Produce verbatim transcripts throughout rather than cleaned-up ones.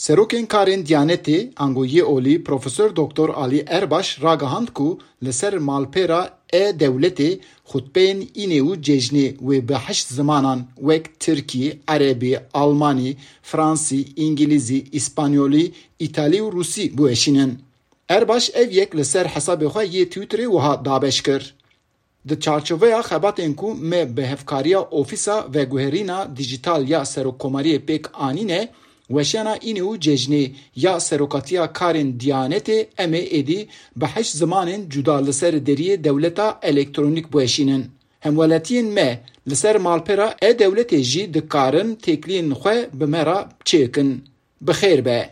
Serokên karên Diyanetê, ango yê olî Profesor Doktor Alî Erbaş ragihand ku li ser malpêra e-dewletê xutbeyên înê û cejnê wê bi heşt zimanan wek Tirkî, Erebî, Almanî, Fransî, Îngilîzî, Îspanyolî, Îtalî û Rûsî biweşînin. Erbaş ev yek li ser hesabê xwe yê Twitterê wiha dabeş kir: Di çarçoveya xebatên ku me bi hevkariya Ofîsa Veguherîna Dîjîtal ya Serokkomariyê pêk anîne, weşana înê û cejnê ya Serokatiya Karên Diyanetê em ê êdî bi heşt zimanên cuda li ser deriyê dewleta elektronîk biweşînin. Hemwelatiyên me li ser malpera e-dewletê jî dikarin têkiliyên xwe bi me re çêkin. Bi xêr be.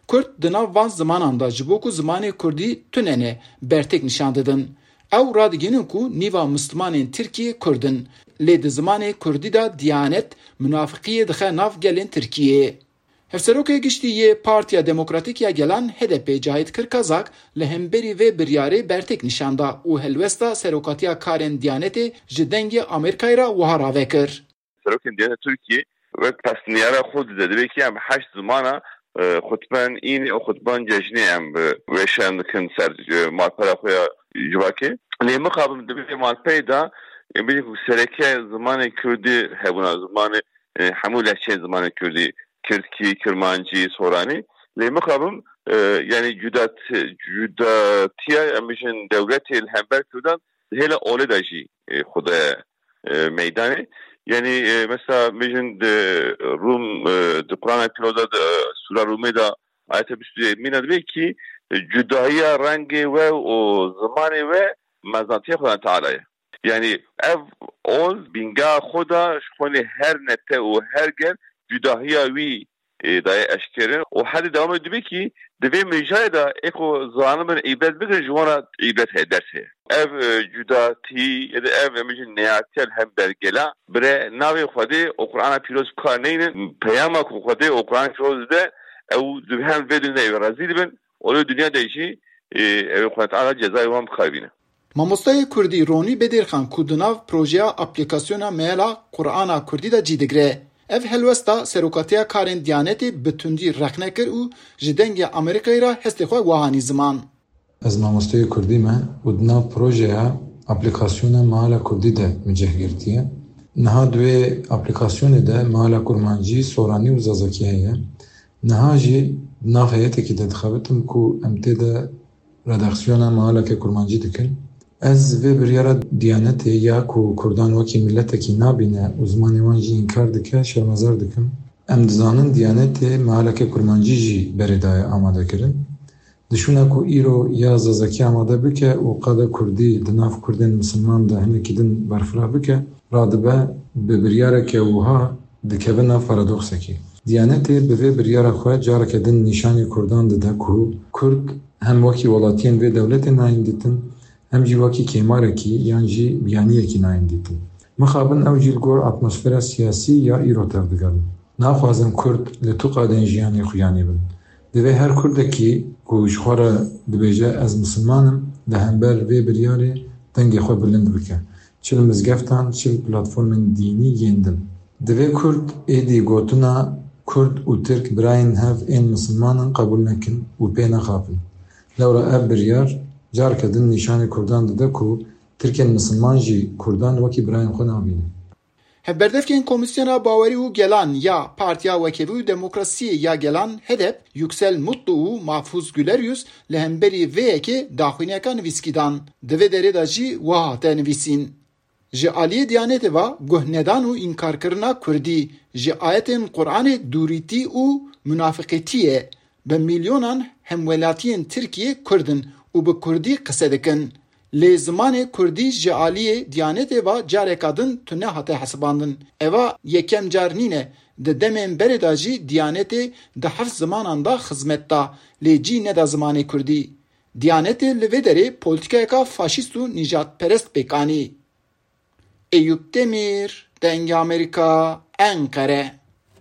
Kurd di nav van zimanan de ji bo ku zimanê kurdî tune ne, bertek nîşan didin. Ew radigihînin ku nîva Mislimanên Tirkiyê kurd in, lê di zimanê kurdî de Diyanet munafiqiyê dixe nav gelên Tirkiyê. Hevserokê Giştî yê Partiya Demokratîk ya Gelan, H D P, Cahit Kirkazak li hemberî vê biryarê bertek nîşan da û helwesta serokatiya karên Diyanetê ji Dengê Amerîkayê re wiha rave kir: Serokên Diyaneta Tirkiyê wek pesniyara xwe dide, dibê ki em heşt zimana, e, xutben înê û xutben cejnê em bi weşan dikin ser, e, malpera xwe ya civakê. Lê mixabin dibê malpeyê de, e, bêjin ku sereke zimanê kurdî hebûna, zimanê, e, hemû lehçeyên zimanê kurdî, kirdkî, kirmancî, soranî. Lê mixabin, e, yanî cudat-, cudatiya, em bêjin dewletê li hember kurdan di hêla olê de jî, e, xwe de e, meydanê. Yanî, e, mesela, bêjin di Rûm, e, di Qur'ana Pîroz de, di, e, Sûra Rûmê de ayete bîst û yekmîn de dibê ki, e, cudahiya rengê we û zimanê we mezinatiya Xudan Teala ye. Yanî ev ol bînga xwe da ji xwînê her nete û her ger cudahiya wî e, daye eşkerin. Û hedî dewamê dibê ki di vê mêjayê de ê ku zanibin îbret bigirin, ji wan re îbret heye, ders heye. Ev, e, cudatî ya da ev, em bêjin, neyartiya li hember gela bire navê Xwedê û Qur'ana Pîroz bi kar neynin. Peyama ku Xwedê û Qur'ana Pîroz dide, ew di hem vê dinyayê rezîl bin û li dinya de jî, e, ew Xwedê Teala cezayê wan bi kar bîne. Mamosteyê kurdî Ronî Bedîrxan ku di nav projeya aplîkasyona Meala Qur'ana Kurdî de cî digire. Ev helwesta Serokatiya Karên Diyanetê bi tundî rexne kir û ji Dengê Amerîkayê re hestê xwe wiha nî ziman: Ez mamosteyê kurdî me û di nav projeya aplîkasyona Meala Kurdî de min cih girtiye. Niha di wê aplîkasyonê de Meala Kurmancî, Soranî û Zazakî heye. Niha jî di nav heyetekî de dixebitim ku em tê de redaksiyona Mealeke Kurmancî dikin. Ez vê biryara Diyanetê ya ku Kurdan wekî miletekî nabîne û zimanê wan jî înkar dike, şermezar dikim. Em dizanin Diyanetê Mealeke Kurmancî jî berê daye amadekirin. Di şûna ku îro ya Zazakî amade bike û qada Kurdî di nav Kurdên misilman de hinekî din berfireh bike, radibe bi biryareke wiha dikeve nav paradoksekê. Diyanetê bi vê biryara xwe careke din nîşanî Kurdan dide ku Kurd hem wekî welatiyên vê dewletê nayên dîtin, hem jî wekî kêmarekî yan jî biyaniyekî nayên dîtin. Mixabin ew jî li gor atmosfera siyasî ya îro tevdigerin. Naxwazin Kurd li tu qadên jiyanê xuyanî bin. Divê her Kurdekî ku ji xwe re dibêje ez misilman im, li hember vê biryarê dengê xwe bilind bike. Çi li mizgeftan, çi li platformên dînî yên din. Divê Kurd êdî gotina Kurd û Tirk birayên hev ên misilman in qebûl nekin û pê nexapin. Lewra ev biryar careke din nîşanî Kurdan dide ku Tirkên misilman jî Kurdan wekî birayên xwe nabînin. Hevberdevkên Komîsyona Bawerî û Gelan ya Partiya Wekevî û Demokrasiyê ya Gelan, H D P, Yüksel Mutlu û Mahfuz Gülerius li hemberî vê yekê daxuyaniyeka nivîskî dan. Di vê derê de jî wiha hate nivîsîn: Ji aliyê Diyanetê ve guhnedan û înkarkirina kurdî ji ayetên Quranê dûrîtî û munafiqîtî ye. Bi milyonan hemwelatiyên Tirkiyê kurd in û bi kurdî qise dikin. Lê zimanê kurdî ji aliyê Diyanetê ve careka din tune hate hesibandin. Eva yekem car nîne. Di demên berê de jî Diyanetê di heft zimanan de xizmet da, lê cî neda zimanê kurdî. Diyanetê li vê derê polîtîkayeka faşîst û nîjadperest pêk anî. Eyûp Demîr, Dengê Amerîka, Enqere.